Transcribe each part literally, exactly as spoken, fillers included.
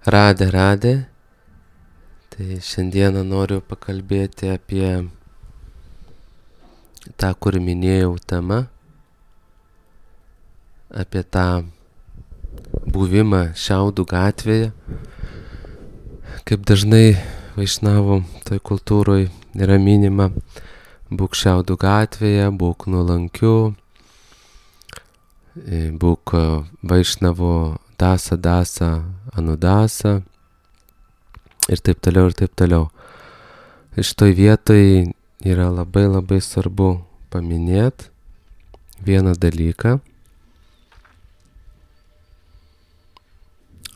Radė, radė. Tai šiandieną noriu pakalbėti apie tą, kur minėjau temą, apie tą buvimą Šiaudų gatvėje. Kaip dažnai vaišnavų toj kultūroj yra minima, būk Šiaudų gatvėje, būk nuolankiu, būk vaišnavo dasa, dasa, anudasa ir taip toliau ir taip toliau. Ir šitoj vietoj yra labai labai svarbu paminėti vieną dalyką.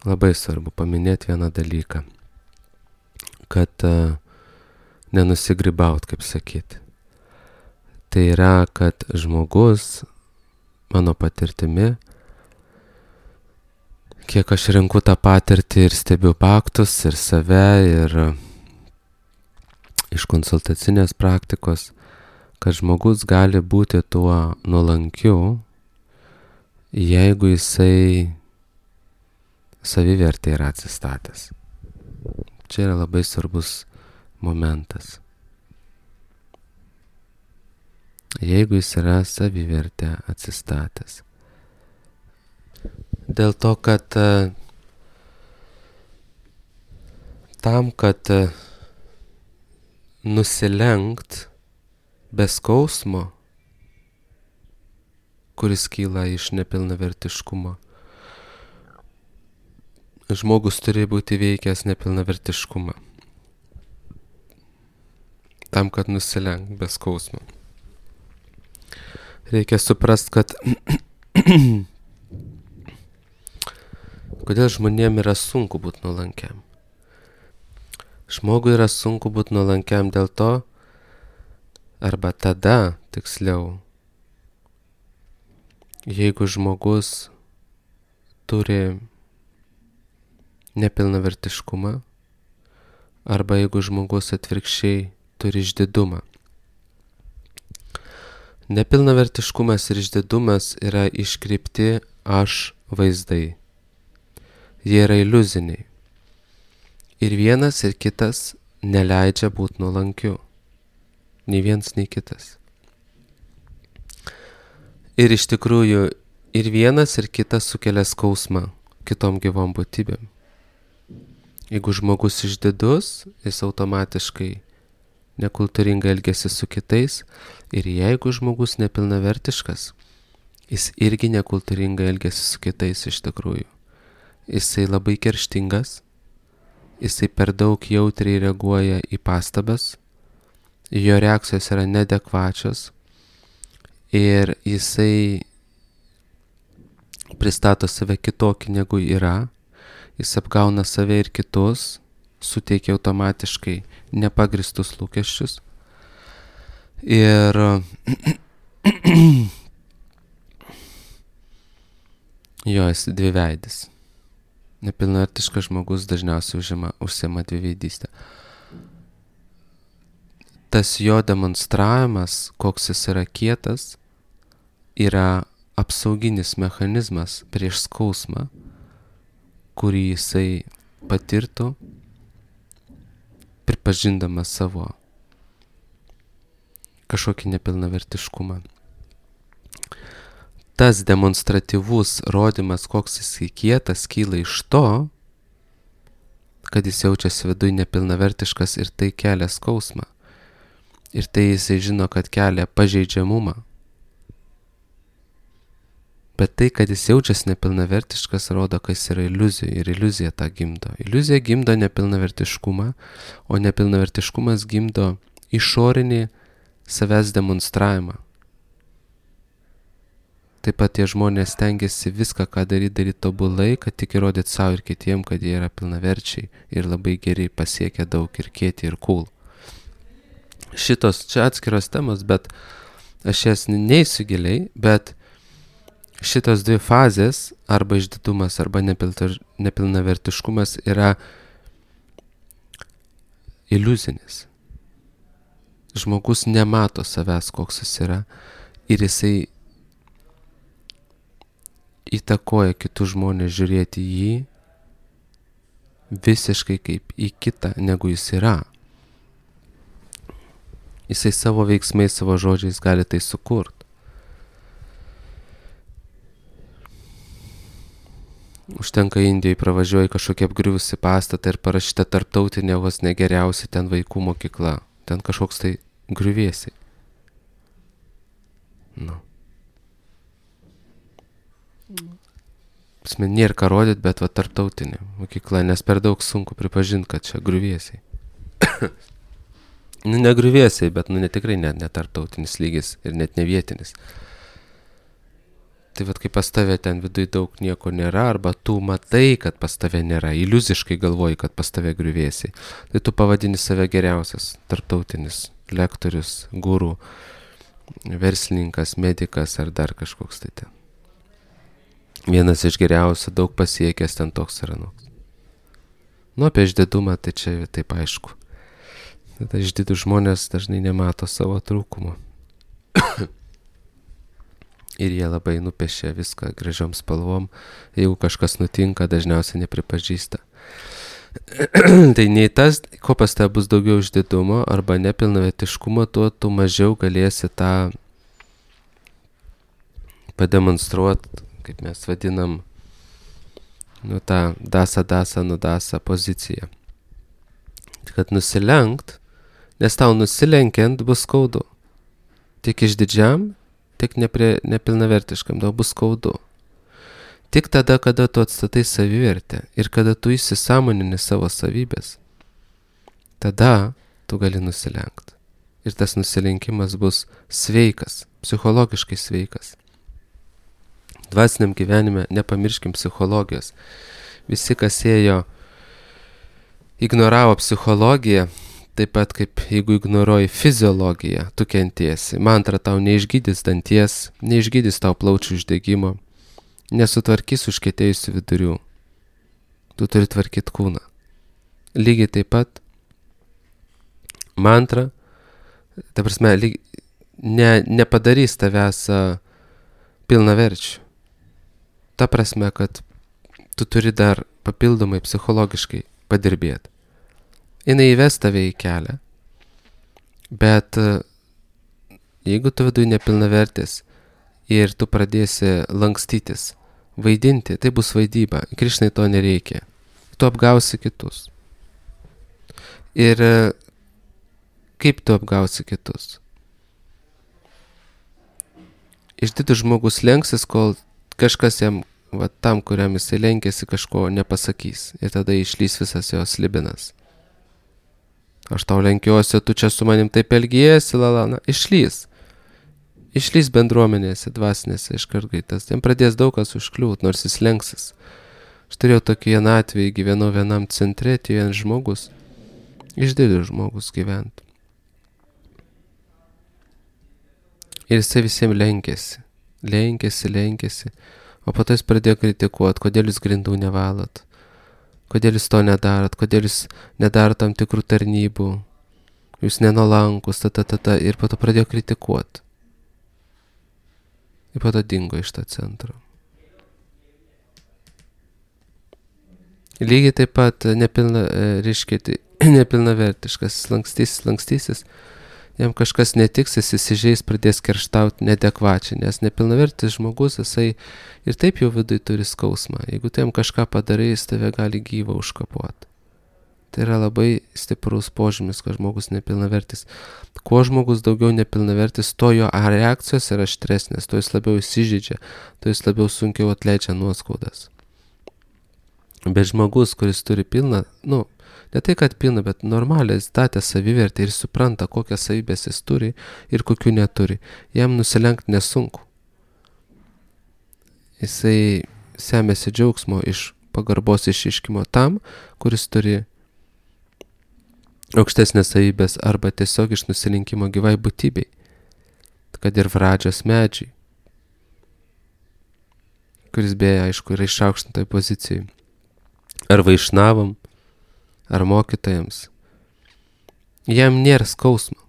Labai svarbu paminėti vieną dalyką, kad uh, nenusigrybaut, kaip sakyti. Tai yra, kad žmogus, mano patirtimi, kiek aš renku tą patirtį ir stebiu faktus ir save, ir iš konsultacinės praktikos, kad žmogus gali būti tuo nuolankiu, jeigu jisai savivertė yra atsistatęs. Čia yra labai svarbus momentas. Jeigu jis yra savivertė atsistatęs. Dėl to, kad uh, tam, kad uh, nusilenkt be skausmo, kuris kyla iš nepilnavertiškumo, žmogus turi būti veikęs nepilnavertiškumą. Tam, kad nusilenkt be skausmo. Reikia suprast, kad kodėl žmonėm yra sunku būti nuolankiam. Žmogui yra sunku būti nuolankiam dėl to, arba tada, tiksliau, jeigu žmogus turi nepilnavertiškumą, arba jeigu žmogus atvirkščiai turi išdidumą. Nepilnavertiškumas ir išdidumas yra iškreipti aš vaizdai. Jie yra iliuziniai. Ir vienas ir kitas neleidžia būti nuolankiu. Nei vienas, nei kitas. Ir iš tikrųjų ir vienas ir kitas sukelia skausmą kitom gyvom būtybėm. Jeigu žmogus išdidus, jis automatiškai nekultūringai elgiasi su kitais. Ir jeigu žmogus nepilnavertiškas, jis irgi nekultūringai elgiasi su kitais iš tikrųjų. Jisai labai kerštingas, jisai per daug jautriai reaguoja į pastabas, jo reakcijos yra neadekvačios ir jisai pristato save kitokį negu yra, jis apgauna save ir kitus, suteikia automatiškai nepagristus lūkesčius ir jo esi dviveidis. Nepilnavertiškas žmogus dažniausiai užima, užsiima dviveidystę. Tas jo demonstravimas, koks jis yra kietas, yra apsauginis mechanizmas prieš skausmą, kurį jisai patirtų, pripažindamas savo kažkokį nepilnavertiškumą. Tas demonstratyvus rodymas, koks jis kietas, kyla iš to, kad jis jaučiasi viduj nepilnavertiškas ir tai kelia skausmą. Ir tai jisai žino, kad kelia pažeidžiamumą. Bet tai, kad jis jaučiasi nepilnavertiškas, rodo, kad jis yra iliuzija ir iliuzija tą gimdo. Iliuzija gimdo nepilnavertiškumą, o nepilnavertiškumas gimdo išorinį savęs demonstravimą. Taip pat tie žmonės stengiasi viską, ką daryti, daryti tobulai, kad tik įrodyti savo ir kitiem, kad jie yra pilnaverčiai ir labai geri, pasiekia daug ir kieti ir cool. Šitos čia atskiros temos, bet aš jas neįsiu giliai, bet šitos dvi fazės, arba išdidumas, arba nepilnavertiškumas yra iliuzinis. Žmogus nemato savęs, koks jis yra, ir jisai įtakoja kitus žmonės žiūrėti jį visiškai kaip į kitą, negu jis yra. Jisai savo veiksmais, savo žodžiais gali tai sukurt. Užtenka Indijai pravažiuoji kažkokia apgriuvusi pastatą ir parašyta tarptautinė vos negeriausia ten vaikų mokykla. Ten kažkoks tai griuvėsiai. Nu. Pasme, nėra ką rodyt, bet va tarptautinė mokykla, nes per daug sunku pripažinti, kad čia griuvėsiai. Nu, ne griuvėsiai, bet nu, ne tikrai net ne tarptautinis lygis ir net ne vietinis. Tai vat, kai pas tave ten viduj daug nieko nėra, arba tu matai, kad pas tave nėra, iliuziškai galvoji, kad pas tave griuvėsiai, tai tu pavadini save geriausias tarptautinis lektorius, guru, verslininkas, medikas ar dar kažkoks tai ten. Vienas iš geriausių, daug pasiekęs ten toks ar anoks. Nu, apie išdidumą tai čia taip aišku. Tada išdidų žmonės dažnai nemato savo trūkumo. Ir jie labai nupiešia viską gražiom spalvom. Jeigu kažkas nutinka, dažniausiai nepripažįsta. Tai nei tas, ko pas tave bus daugiau išdidumo arba nepilnavertiškumo, tuo tu mažiau galėsi tą pademonstruoti, kaip mes vadinam, nu tą dasa dasa nudasa poziciją. Kad nusilenkt, nes tau nusilenkiant bus skaudu. Tik išdidžiam, tik neprie, nepilnavertiškam, tau bus skaudu. Tik tada, kada tu atstatai savivertę ir kada tu įsisąmonini savo savybės, tada tu gali nusilenkti. Ir tas nusilenkimas bus sveikas, psichologiškai sveikas. Dvasiniam gyvenime nepamirškim psichologijos. Visi, kas ėjo, ignoravo psichologiją, taip pat kaip jeigu ignoruoji fiziologiją, tu kentiesi. Mantra tau neišgydys danties, neišgydys tau plaučių uždegimo, nesutvarkys užkietėjusių vidurių. Tu turi tvarkyti kūną. Lygiai taip pat mantra, ta prasme, lyg, ne, nepadarys tavęs pilnaverčių. Ta prasme, kad tu turi dar papildomai psichologiškai padirbėti. Jinai įves tave į kelią, bet jeigu tu viduj nepilnavertis ir tu pradėsi lankstytis, vaidinti, tai bus vaidyba. Krišnai to nereikia. Tu apgausi kitus. Ir kaip tu apgausi kitus? Išdidus žmogus lenksis, kol kažkas jam, va, tam, kuriam jisai lenkėsi, kažko nepasakys. Ir tada išlys visas jos slibinas. Aš tau lenkiuosi, tu čia su manim taip elgiesi, lalana, išlys. Išlys bendruomenėse, dvasinėse iškart greitas. Jam pradės daug kas užkliūt, nors jis lenksis. Aš turėjau tokį vieną atvejį, gyvenau vienam centre, tai vienas žmogus, išdidus žmogus gyvent. Ir jisai visiems lenkėsi, lenkėsi, lenkėsi, o po to jis pradėjo kritikuoti, kodėl jūs grindų nevalot. Kodėl jūs to nedarot, kodėl jūs nedarot tam tikrų tarnybų, jūs nenolankus, ta, ta, ta, ta, ir po to pradėjo kritikuoti. Ir po to dingo iš to centro. Lygiai taip pat nepilna, reiškia, nepilnavertiškas, lankstysis, lankstysis, jam kažkas netiks, jis įsižeis, pradės kerštauti neadekvačiai, nes nepilnavertis žmogus, jisai ir taip jau viduj turi skausmą. Jeigu tu jam kažką padarai, jis tave gali gyvą užkapuoti. Tai yra labai stiprus požymis, kad žmogus nepilnavertis. Kuo žmogus daugiau nepilnavertis, to jo reakcijos yra aštresnės, to jis labiau įsižeidžia, to jis labiau sunkiau atleidžia nuoskaudas. Bet žmogus, kuris turi pilną, nu, ne tai, kad pilna, bet normaliai statė savivertę ir supranta, kokias savybės jis turi ir kokių neturi. Jam nusilenkti nesunku. Jisai semėsi džiaugsmo iš pagarbos išiškimo tam, kuris turi aukštesnės savybės arba tiesiog iš nusilinkimo gyvai būtybei. Kad ir Vradžos medžiai, kuris beje, aišku, yra išaukštintoje pozicijai. Ar vaišnavam, ar mokytojams. Jam nėra skausmo.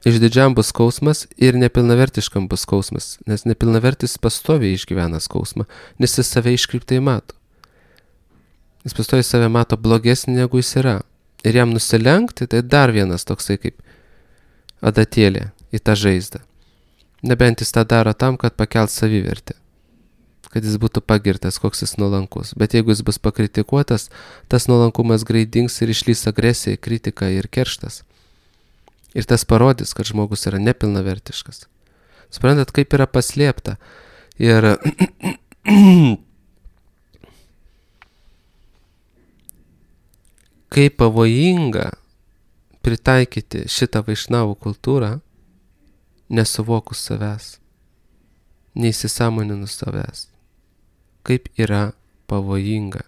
Išdidžiam bus skausmas ir nepilnavertiškam bus skausmas, nes nepilnavertis pastoviai išgyvena skausmą, nes jis save iškreiptai mato. Jis pastoviai save mato blogesnį negu jis yra. Ir jam nusilenkti, tai dar vienas toksai kaip adatėlė į tą žaizdą. Nebent jis tą daro tam, kad pakelt savivertę. Kad jis būtų pagirtas, koks jis nuolankus. Bet jeigu jis bus pakritikuotas, tas nuolankumas greit dings ir išlys agresija, kritika ir kerštas. Ir tas parodys, kad žmogus yra nepilnavertiškas. Suprantat, kaip yra paslėpta. Ir kaip pavojinga pritaikyti šitą vaišnavų kultūrą, nesuvokus savęs, neįsisąmoninus savęs. Kaip yra pavojinga.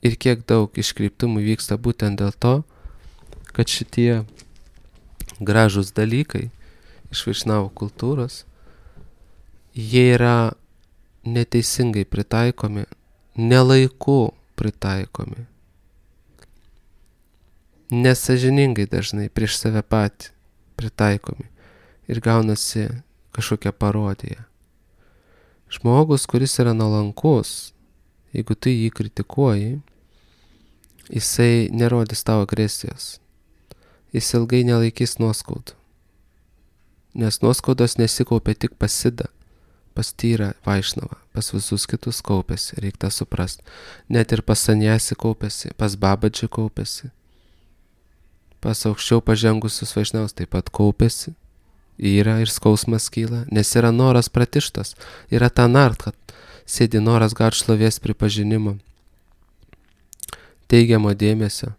Ir kiek daug iškreiptumų vyksta būtent dėl to, kad šitie gražūs dalykai iš vaišnavų kultūros, jie yra neteisingai pritaikomi, nelaiku pritaikomi. Nesąžiningai dažnai prieš save patį pritaikomi ir gaunasi kažkokia parodija. Žmogus, kuris yra nuolankus, jeigu tu jį kritikuoji, jisai nerodys tau agresijos. Jis ilgai nelaikys nuoskaudų, nes nuoskaudos nesikaupia tik pas Sidą, pas Tyrą Vaišnavą, pas visus kitus kaupėsi, reikia tą suprast. Net ir pas Saniasį kaupėsi, pas Babadžį kaupėsi. Pas aukščiau pažengusius vaišnavus taip pat kaupėsi, yra ir skausmas kyla, nes yra noras pratištas, yra ta nart, kad sėdi noras gauti šlovės pripažinimo, teigiamo dėmesio.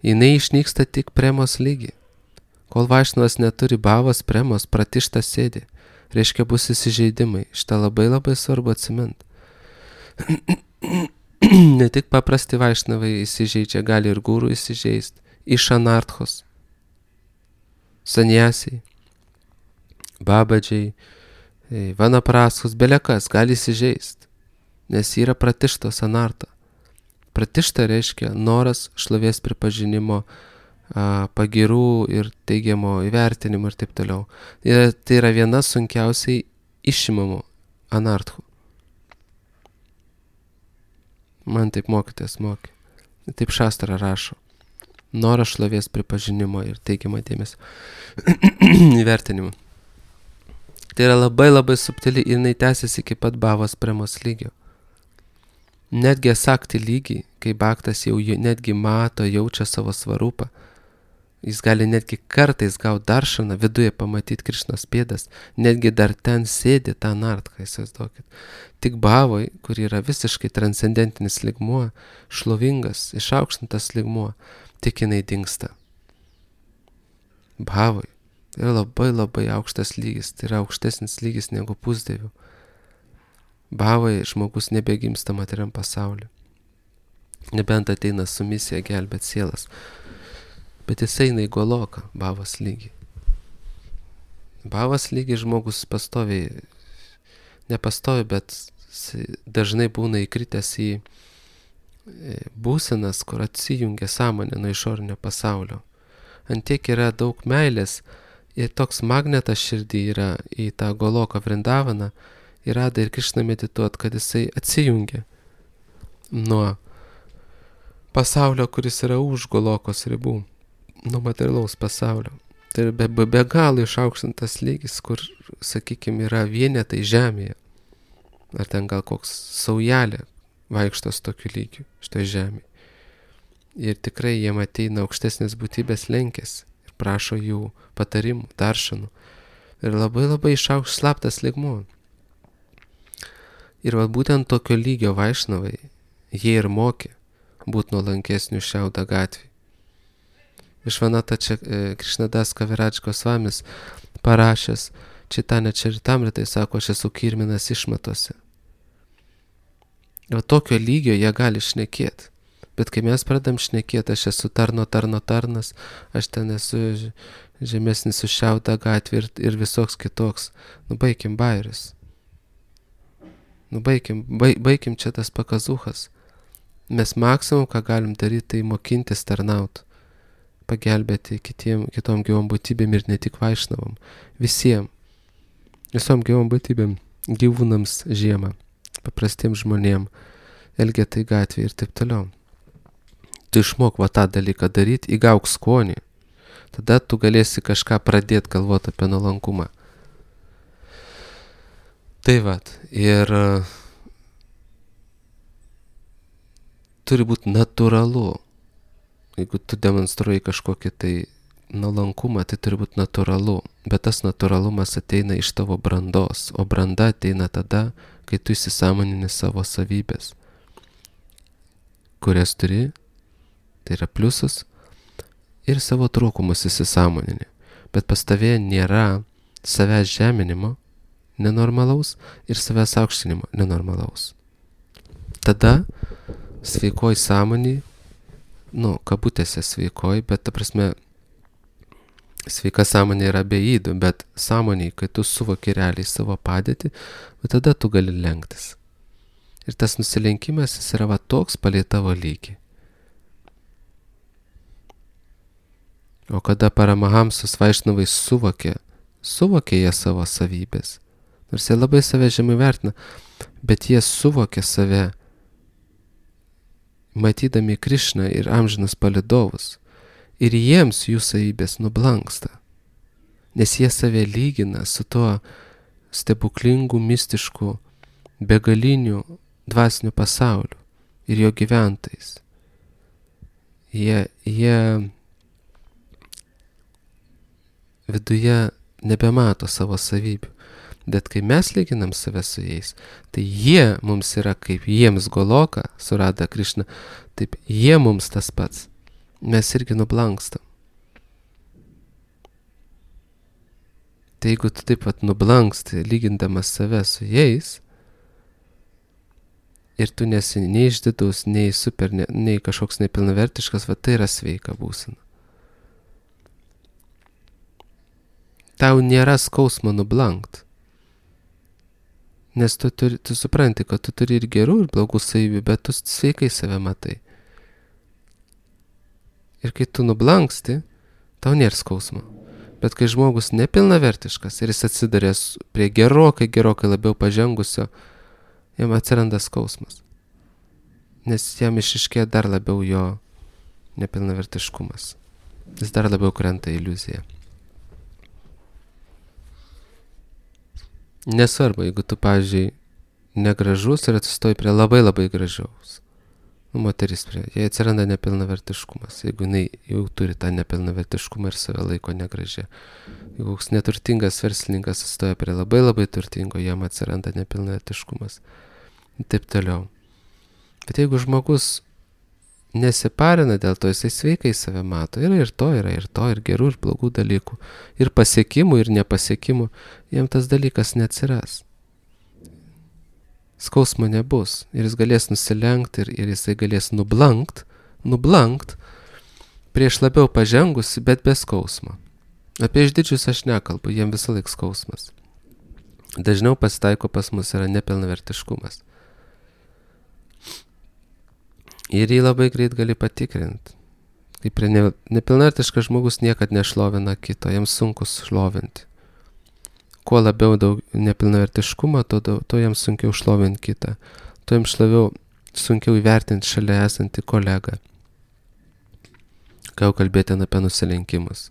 Jinai išnyksta tik premos lygi. Kol vaišnavas neturi bavos, premos, pratištas sėdi, reiškia bus įsižeidimai. Šitą labai labai svarbu atsimint. Ne tik paprasti vaišnavai įsižeidžia, gali ir gūrų įsižeist. Iš anarthos, saniasiai, babadžiai, vanapraskus, belekas gali įsižeist, nes yra pratištos anarta. Pratišta reiškia noras šlovės pripažinimo, pagirų ir teigiamo įvertinimo ir taip toliau. Ir tai yra viena sunkiausiai išimamų anarthų. Man taip mokytojas mokė. Taip Šastra rašo. Noras šlovės pripažinimo ir teigiamą dėmesio įvertinimo. Tai yra labai labai subtili ir jinai tęsiasi iki pat bavos premos lygio. Netgi asakti lygį, kai bhaktas jau netgi mato, jaučia savo svarupą, jis gali netgi kartais gauti daršaną, viduje pamatyti Krišnos pėdas, netgi dar ten sėdi tą nartką, įsivaizduokit. Tik bhavoj, kur yra visiškai transcendentinis lygmuo, šlovingas, išaukštintas lygmuo, tik jinai dingsta. Bhavoj yra labai labai aukštas lygis, tai yra aukštesnis lygis negu pusdievių. Bhavoj žmogus nebegimsta materiam pasauliu. Nebent ateina su misija gelbėt sielas. Bet jis eina į goloką, bhavos lygį. Bhavos lygį žmogus pastoviai, nepastoviai, bet dažnai būna įkritęs į būsenas, kur atsijungia sąmonė nuo išorinio pasaulio. Antiek yra daug meilės ir toks magnetas širdį yra į tą goloką Vrindavaną ir rada ir Krišną medituot, kad jisai atsijungia nuo pasaulio, kuris yra už golokos ribų, nuo materialaus pasaulio. Tai be, be, be galo išaukštintas lygis, kur, sakykime, yra vienetai žemėje. Ar ten gal koks saujelė vaikštos tokiu lygiu šitoj žemėje. Ir tikrai jiem ateina aukštesnės būtybės lenkės ir prašo jų patarimų, daršanų. Ir labai labai išaukštas slaptas lygmuo. Ir va būtent tokio lygio vaišnavai jie ir mokė būt nuolankesnių Šiauda gatvėje. Išvanata čia Krišnadas Kaviraj Gosvamis parašęs Čitanya Čaritamritai, sako, aš esu kirminas išmatose. O tokio lygio jie gali šnekėti. Bet kai mes pradam šnekėti, aš esu tarno, tarno, tarnas, aš ten esu žemesnis už Šiaudą gatvę ir, ir visoks kitoks. Nu, baigim bairius. Nu, baigim, baig, baigim čia tas pakazuchas. Mes maksimum, ką galim daryti, tai mokintis tarnaut. Pagelbėti kitiem, kitom gyvom būtybėm ir ne tik vaišnavom. Visiem. Visom gyvom būtybėm. Gyvūnams žiemą. Paprastiem žmonėm. elgetai gatvėje ir taip toliau. Tu išmok va tą dalyką daryti, įgauk skonį. Tada tu galėsi kažką pradėti galvoti apie nuolankumą. Tai vat, ir turi būti natūralu. Jeigu tu demonstruoji kažkokį tai nuolankumą, tai turi būti natūralu. Bet tas natūralumas ateina iš tavo brandos, o branda ateina tada, kai tu įsisąmonini savo savybės, kurias turi, tai yra pliusus, ir savo trūkumus įsisąmonini. Bet pas tavėje nėra savęs žeminimo nenormalaus ir savęs aukštinimo nenormalaus. Tada sveikoj sąmonį, nu, kabutėse sveikoj, bet ta prasme, sveika sąmonė yra be ydų, bet sąmoniai, kai tu suvoki realiai savo padėtį, tada tu gali lenktis. Ir tas nusilenkimas, jis yra va toks palei tavo lygį. O kada Paramahamsos Vaišnavai suvokė, suvokė jie savo savybės, nors jie labai save žemai vertina, bet jie suvokė save, matydami Krišną ir amžinus palydovus, ir jiems jų savybės nublanksta, nes jie save lygina su tuo stebuklingu, mistišku, begaliniu dvasiniu pasauliu ir jo gyventojais. Jie, jie viduje nebemato savo savybių, bet kai mes lyginam save su jais, tai jie mums yra kaip jiems Goloka surada Krišną, taip jie mums tas pats. Mes irgi nublankstam. Tai jeigu tu taip pat nublanksti, lygindamas save su jais, ir tu nesi nei išdidus, nei super, nei, nei kažkoks nepilnavertiškas, va tai yra sveika būsena. Tau nėra skausmo nublankt. Nes tu, turi, tu supranti, kad tu turi ir gerų, ir blogų savybių, bet tu sveikai save matai. Ir kai tu nublanksti, tau nėra skausmo. Bet kai žmogus nepilnavertiškas ir jis atsidarės prie gerokai, gerokai labiau pažengusio, jam atsiranda skausmas. Nes jam išiškėja dar labiau jo nepilnavertiškumas. Jis dar labiau krenta iliuziją. Nesvarbu, jeigu tu, pavyzdžiui, negražus ir atsistoji prie labai labai gražaus. Nu, moteris prie, jai atsiranda nepilnavertiškumas, jeigu jinai jau turi tą nepilnavertiškumą ir save laiko negražia. Jeigu koks neturtingas verslininkas atsistoja prie labai labai turtingo, jam atsiranda nepilnavertiškumas. Ir taip toliau. Bet jeigu žmogus nesiparina dėl to, jisai sveikai save mato. Yra ir to, yra ir to, ir gerų, ir blogų dalykų. Ir pasiekimų, ir nepasiekimų. Jam tas dalykas neatsiras. Skausmo nebus. Ir jis galės nusilenkti, ir, ir jisai galės nublankt, nublankt prieš labiau pažengusi, bet be skausmo. Apie išdidžius aš nekalbu, jiem visą laik skausmas. Dažniau pasitaiko pas mus yra nepilnavertiškumas. Ir jį labai greit gali patikrinti. Kaip prie ne, nepilnavertiškas žmogus niekad nešlovina kito, jam sunku šlovinti. Kuo labiau daug nepilnavertiškumo, to, to jam sunkiau šlovinti kitą. To jam šlaviau, sunkiau įvertinti šalia esantį kolegą. Ką jau kalbėti apie nusilenkimus.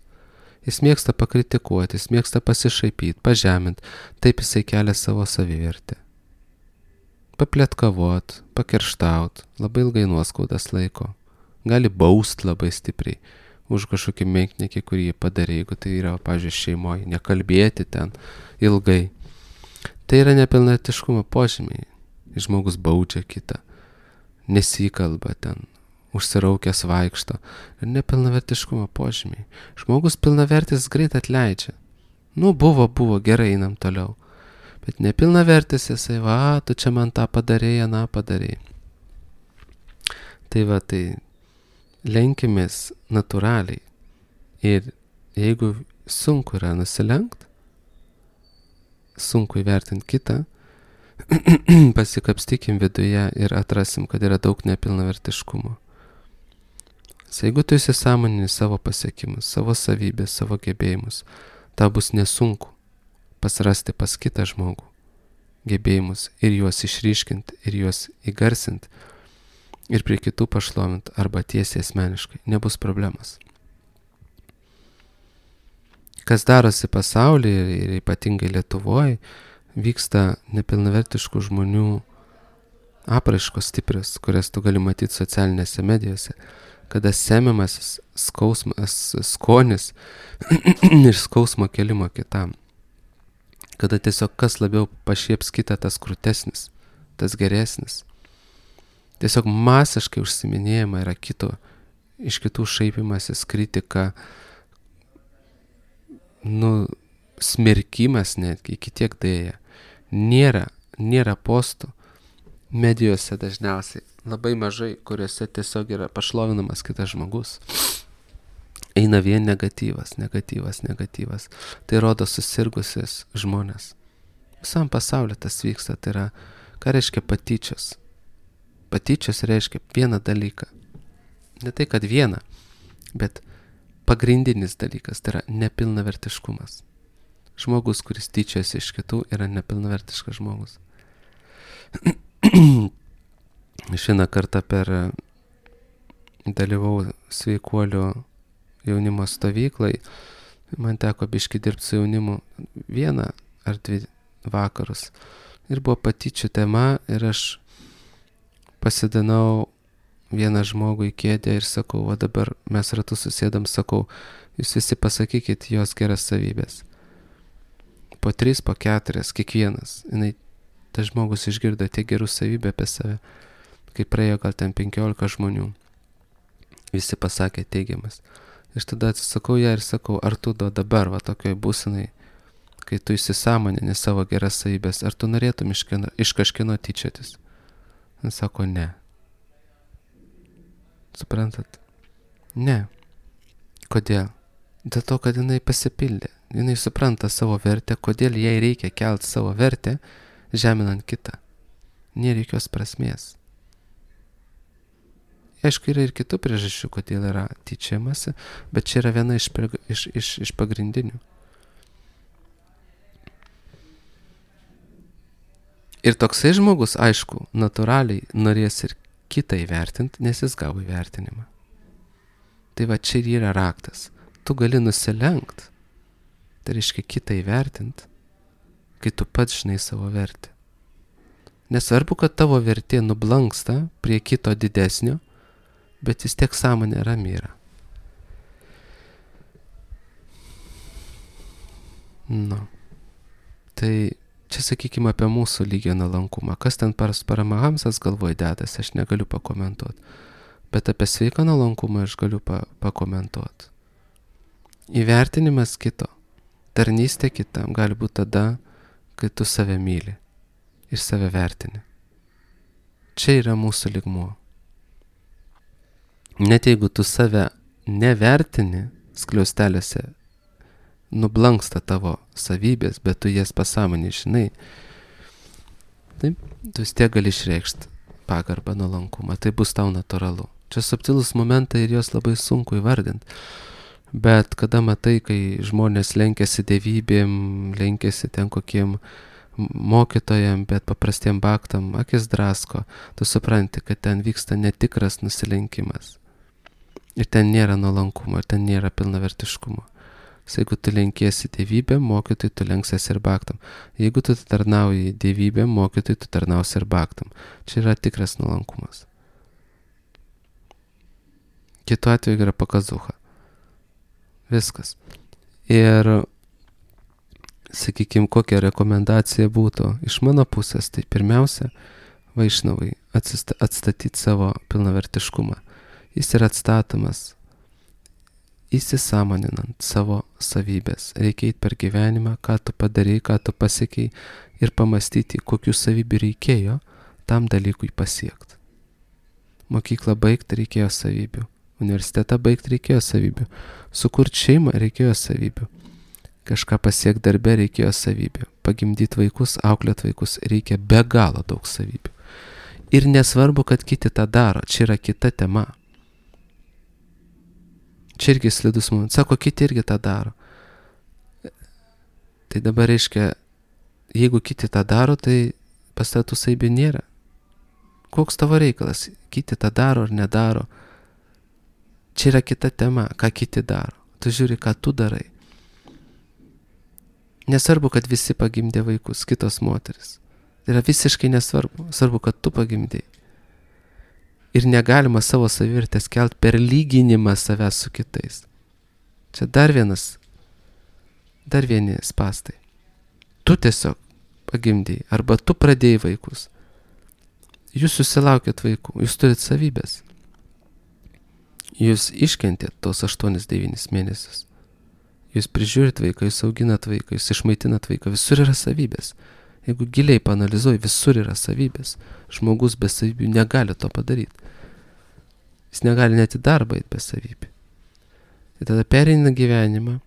Jis mėgsta pakritikuoti, jis mėgsta pasišaipyti, pažeminti, taip jisai kelia savo savivertę. Papletkavot, pakerštaut, labai ilgai nuoskaudas laiko. Gali baust labai stipriai už kažkokį menkniekį, kurį jį padarė, jeigu tai yra, pavyzdžiui, šeimoje, nekalbėti ten ilgai. Tai yra nepilnavertiškumo požymiai. Žmogus baudžia kitą, nesikalba ten, užsiraukęs vaikšto. Ir nepilnavertiškumo požymiai. Žmogus pilnavertis greit atleidžia. Nu, buvo, buvo, gerai, einam toliau. Bet nepilnavertis jisai, va, tu čia man tą padarėjai, aną padarėjai. Tai va, tai lenkimės natūraliai. Ir jeigu sunku yra nusilenkt, sunku įvertinti kitą, pasikapstykim viduje ir atrasim, kad yra daug nepilnavertiškumo. Jeigu tu įsisąmonini savo pasiekimus, savo savybės, savo gebėjimus, tau bus nesunku pasirasti pas kitą žmogų gebėjimus ir juos išryškinti, ir juos įgarsinti, ir prie kitų pašlovint arba tiesiai asmeniškai. Nebus problemas. Kas darosi pasaulyje ir ypatingai Lietuvoje, vyksta nepilnavertiškų žmonių apraiškos stiprios, kurias tu gali matyti socialinėse medijose, kada semiamasis skausmas, skonis ir skausmo kelimo kitam. Kada tiesiog kas labiau pašieps kitą, tas krūtesnis, tas geresnis. Tiesiog masiškai užsiminėjama yra kito, iš kitų šaipimasis, kritika, nu, smerkimas netgi, iki tiek dėja. Nėra, nėra postų medijose dažniausiai, labai mažai, kuriuose tiesiog yra pašlovinamas kitas žmogus. Eina vien negatyvas, negatyvas, negatyvas. Tai rodo susirgusius žmonės. Visam pasauliu tas vyksta, tai yra, ką reiškia patyčios. Patyčios reiškia vieną dalyką. Ne tai, kad vieną, bet pagrindinis dalykas, tai yra nepilnavertiškumas. Žmogus, kuris tyčiasi iš kitų, yra nepilnavertiškas žmogus. Aš vieną kartą per dalyvau sveikuolių jaunimo stovyklai, man teko biški dirbti su jaunimu vieną ar dvi vakarus. Ir buvo patyčių tema ir aš pasidanau vieną žmogų į kėdę ir sakau, o dabar mes ratu susėdam, sakau, jūs visi pasakykit jos geras savybės. Po tris, po keturias, kiekvienas. Jinai, tas žmogus išgirdo tiek gerų savybę apie save, kai praėjo gal ten penkiolika žmonių. Visi pasakė teigiamas. Ir tada atsisakau ją ir sakau, ar tu dabar, va tokioj būsinai, kai tu įsisąmonini savo geras savybės, ar tu norėtum iš, kino, iš kažkino tyčiotis? Jis sako, ne. Suprantat? Ne. Kodėl? Dėl to, kad jinai pasipildė. Jinai supranta savo vertę, kodėl jai reikia kelti savo vertę, žeminant kitą. Nėra jokios prasmės. Aišku, yra ir kitų priežasčių, kodėl yra tyčiamasi, bet čia yra viena iš, iš, iš, iš pagrindinių. Ir toksai žmogus, aišku, natūraliai norės ir kitą įvertinti, nes jis gavo įvertinimą. Tai va čia ir yra raktas. Tu gali nusilenkt, tai reiškia kitą įvertinti, kai tu pats žinai savo vertę. Nesvarbu, kad tavo vertė nublanksta prie kito didesnio, bet vis tiek sąmonė rami yra. Nu, tai čia sakykime apie mūsų lygio nuolankumą. Kas ten pas Paramahamsas galvoj dedas, aš negaliu pakomentuoti. Bet apie sveiką nuolankumą aš galiu pa, pakomentuoti. Įvertinimas kito, tarnystė kitam gali būti tada, kai tu save myli ir save vertini. Čia yra mūsų lygmuo. Net jeigu tu save nevertini, skliaustelėse nublanksta tavo savybės, bet tu jas pasąmonį žinai, taip, tu vis tiek gali išreikšti pagarbą, nuolankumą, tai bus tau natūralu. Čia subtilus momentai ir jos labai sunku įvardinti, bet kada matai, kai žmonės lenkiasi dievybėm, lenkiasi ten kokiem mokytojam, bet paprastiem baktam, akis drasko, tu supranti, kad ten vyksta netikras nusilenkimas. Ir ten nėra nuolankumo, ir ten nėra pilnavertiškumo. Jeigu tu lenkiesi dievybėm, mokytojui tu lenksiesi ir baktam. Jeigu tu tarnauji dievybėm, mokytojui tu tarnausi ir baktam. Čia yra tikras nuolankumas. Kitu atveju yra pakazucha. Viskas. Ir, sakykime, kokia rekomendacija būtų iš mano pusės, tai pirmiausia, vaišnavai atstatyti savo pilnavertiškumą. Jis yra atstatomas įsisąmoninant savo savybės. Reikia eiti per gyvenimą, ką tu padarai, ką tu pasiekiai ir pamastyti, kokių savybių reikėjo tam dalykui pasiekti. Mokyklą baigti reikėjo savybių. Universitetą baigti reikėjo savybių. Sukurti šeimą reikėjo savybių. Kažką pasiekti darbe reikėjo savybių. Pagimdyti vaikus, auklėti vaikus reikia be galo daug savybių. Ir nesvarbu, kad kiti tą daro. Čia yra kita tema. Čia irgi slidus momentas. Sako, kiti irgi tą daro. Tai dabar reiškia, jeigu kiti tą daro, tai pas tave tų savybių nėra. Koks tavo reikalas? Kiti tą daro ar nedaro. Čia yra kita tema, ką kiti daro. Tu žiūri, ką tu darai. Nesvarbu, kad visi pagimdė vaikus, kitos moteris. Tai yra visiškai nesvarbu. Svarbu, kad tu pagimdėjai. Ir negalima savo savivertės kelt per lyginimą savęs su kitais. Čia dar vienas, dar vieni spastai. Tu tiesiog pagimdėjai, arba tu pradėjai vaikus. Jūs susilaukėt vaikų, jūs turit savybės. Jūs iškentėt tos aštuonis devynis mėnesius. Jūs prižiūrit vaiką, jūs auginat vaiką, jūs išmaitinat vaiką, visur yra savybės. Jeigu giliai paanalizuoji, visur yra savybės. Žmogus be savybių negali to padaryti. Jis negali net į darbą eiti be savybių. Ir tada pereina gyvenimą,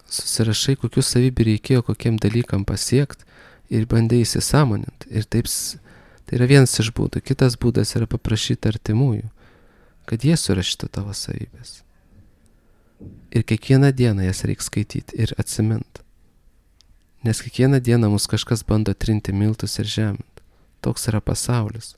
susirašai, kokių savybių reikėjo, kokiem dalykam pasiekti ir bandai įsisąmoninti. Ir taip, tai yra vienas iš būdų. Kitas būdas yra paprašyti artimųjų, kad jie surašytų tavo savybės. Ir kiekvieną dieną jas reikia skaityti ir atsiminti. Nes kiekvieną dieną mus kažkas bando trinti miltus ir žeminti. Toks yra pasaulis.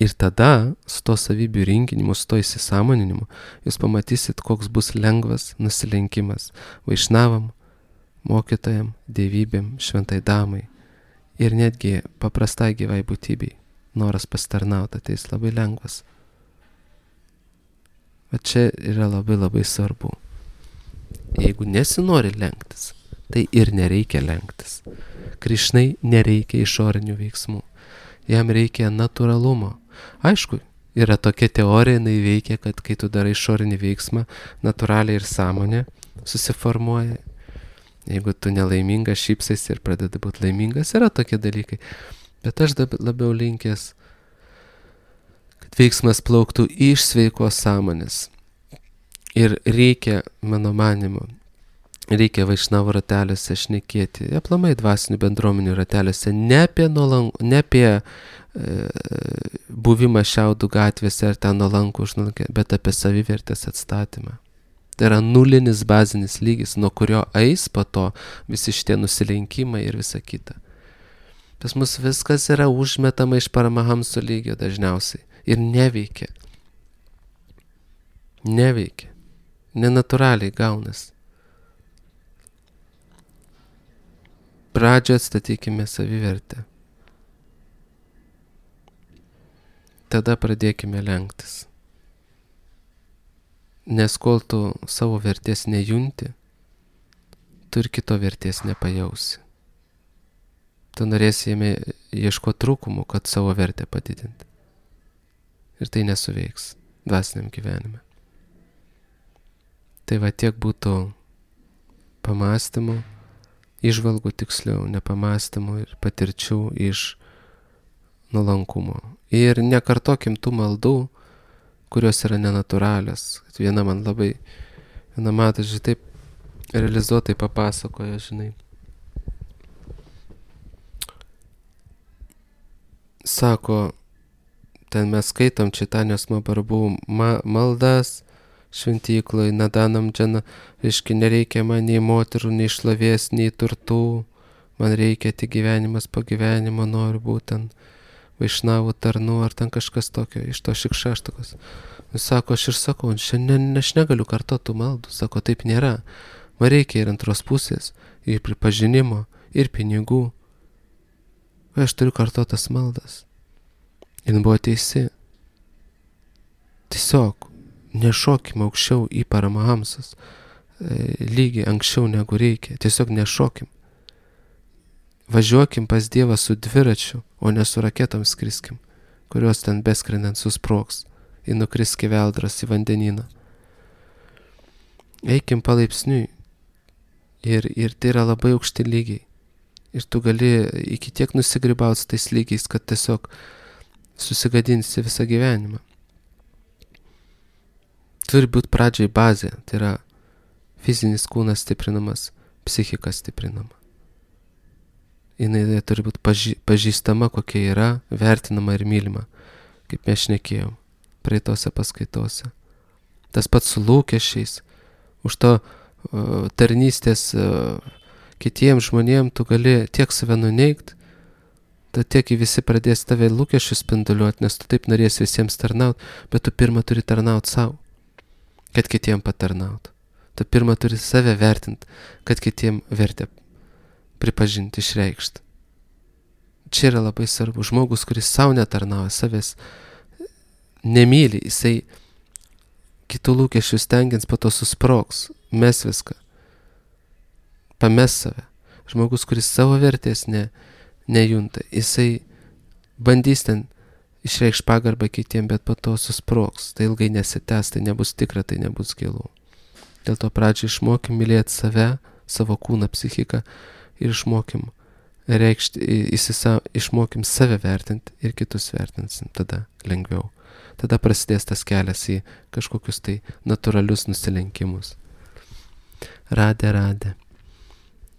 Ir tada, su to savybių rinkinimu, su to įsisąmoninimu, jūs pamatysit, koks bus lengvas nusilenkimas vaišnavam, mokytojam, dievybėm, šventai damai ir netgi paprastai gyvai būtybei. Noras pasitarnauti ateis labai lengvas. Bet čia yra labai labai svarbu. Jeigu nesinori lenktis, tai ir nereikia lenktis. Krišnai nereikia išorinių veiksmų. Jam reikia natūralumo. Aišku, yra tokia teorija, jinai veikia, kad kai tu darai išorinį veiksmą, natūraliai ir sąmonė susiformuoja. Jeigu tu nelaimingas, šypsais ir pradedi būti laimingas, yra tokie dalykai. Bet aš labiau linkęs, kad veiksmas plauktų iš sveikos sąmonės. Ir reikia, mano manimu, reikia vaišnavo rateliuose šnekėti, aplamai dvasinių bendruomenių rateliuose, ne apie, nuolank, ne apie e, buvimą Šiaudų gatvėse ar ten nuolankų užnulankę, bet apie savivertės atstatymą. Tai yra nulinis bazinis lygis, nuo kurio eis po to visi šitie nusilenkimai ir visa kita. Pas mus viskas yra užmetama iš Paramahamso lygio dažniausiai ir neveikia. Neveikia. Nenatūraliai gaunas. Pradžio atstatykime savivertę. Tada pradėkime lenktis. Nes kol tu savo vertės nejunti, tu ir kito vertės nepajausi. Tu norėsi jame ieškoti trūkumų, kad savo vertę padidinti. Ir tai nesuveiks dvasiniam gyvenime. Tai va tiek būtų pamastymų, įžvalgų tiksliau, nepamastymų ir patirčių iš nuolankumo. Ir nekartokim tų maldų, kurios yra nenatūralios. Viena man labai, viena matas, žinai, taip realizuotai papasakojo, žinai. Sako, ten mes skaitom Čaitanijos Mahaprabhu ma- maldas šventykloj, nadanam džana, reiškia, nereikia man nei moterų, nei šlovės, nei turtų, man reikia tik gyvenimas po gyvenimo, noriu būtent vaišnavų tarnų, ar ten kažkas tokio, iš to šikšaštokos. Jis sako, aš ir sakau, šiandien aš negaliu kartotų maldų, sako, taip nėra, man reikia ir antros pusės, ir pripažinimo, ir pinigų. Aš turiu kartotas maldas. Jis buvo teisi. Tiesiog nešokim aukščiau į Paramahamsos lygį anksčiau negu reikia. Tiesiog nešokim. Važiuokim pas Dievą su dviračiu, o ne su raketom skriskim, kurios ten beskrendant susprogs ir nukris skeveldras į vandenyną. Eikim palaipsniui. Ir, ir tai yra labai aukšti lygiai. Ir tu gali iki tiek nusigribauti su tais lygiais, kad tiesiog susigadinsi visą gyvenimą. Turi būti pradžiai bazė, tai yra fizinis kūnas stiprinamas, psichika stiprinama. Jinai turi būti paži- pažįstama, kokia yra, vertinama ir mylima, kaip mes šnekėjom praeitose paskaitose. Tas pats su lūkesčiais, už to uh, tarnystės uh, kitiems žmonėms tu gali tiek save nuneigt, tad tiek visi pradės tave lūkesčius spinduliuoti, nes tu taip norės visiems tarnaut, bet tu pirmą turi tarnaut savo, kad kitiem patarnaut. Tu pirmą turi save vertinti, kad kitiem vertę pripažinti, išreikšti. Čia yra labai svarbu. Žmogus, kuris savo netarnauja, savęs nemyli, jisai kitų lūkesčių stengiant po to susprogs, mes viską, pames save. Žmogus, kuris savo vertės ne, nejunta, jisai bandys ten išreikš pagarbą kitiem, bet po to susprogs, tai ilgai nesitęs, tai nebus tikra, tai nebus gilu. Dėl to pradžiai išmokim mylėti save, savo kūną, psichiką ir išmokim reikšti, įsisa, išmokim save vertinti ir kitus vertinsim, tada lengviau. Tada prasidės tas kelias į kažkokius tai natūralius nusilenkimus. Radė, radė.